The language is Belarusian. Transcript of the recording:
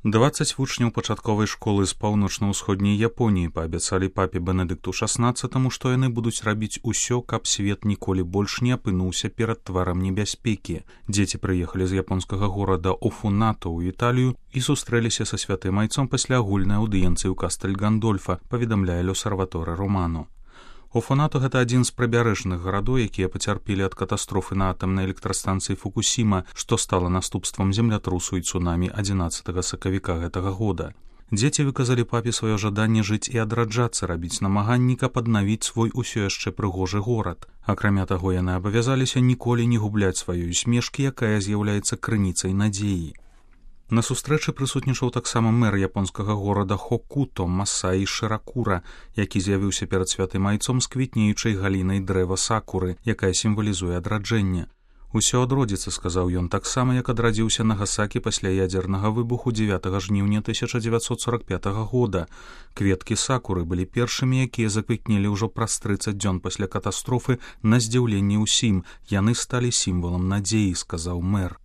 20 вучняў пачатковай школы з паўночна-ўсходняй Японіі паабяцалі папе Бенедыкту XVI, што яны будуць рабіць усё, каб свет ніколі больш не апынуўся перад тварам небяспекі. Дзеці прыехалі з японскага горада Офунато ў Італію і сустрэліся са святым айцом пасля агульнай аўдыенцыі ў Кастэль Гандольфа, паведамляе L'Osservatore Romano. Офунато — гэта адзін з прыбярэжных гарадоў, якія пацярпелі ад катастрофы на атамнай электрастанцыі Фукусіма, што стала наступствам землятрусу і цунамі 11 сакавіка гэтага года. Дзеці выказалі папе сваё жаданне жыць і адраджацца, рабіць намаганні, каб аднавіць свой усё яшчэ прыгожы горад. Акрамя таго, яны абавязаліся ніколі не губляць сваёй усмешкі, якая з'яўляецца крыніцай надзеі. На сустрэчы прысутнічаў таксама мэр японскага горада Хокуто Масаі Шыракура, які з'явіўся перад святым айцом з квітнеючай галінай дрэва сакуры, якая сімвалізуе адраджэнне. «Усё адродзіцца», — сказаў ён, таксама як адрадзіўся Нагасакі пасля ядзернага выбуху 9 жніўня 1945 года. Кветкі сакуры былі першымі, якія заквітнелі ўжо праз 30 дзён пасля катастрофы, на здзіўленне ўсім. Яны сталі сімвалам надзеі, сказаў мэр.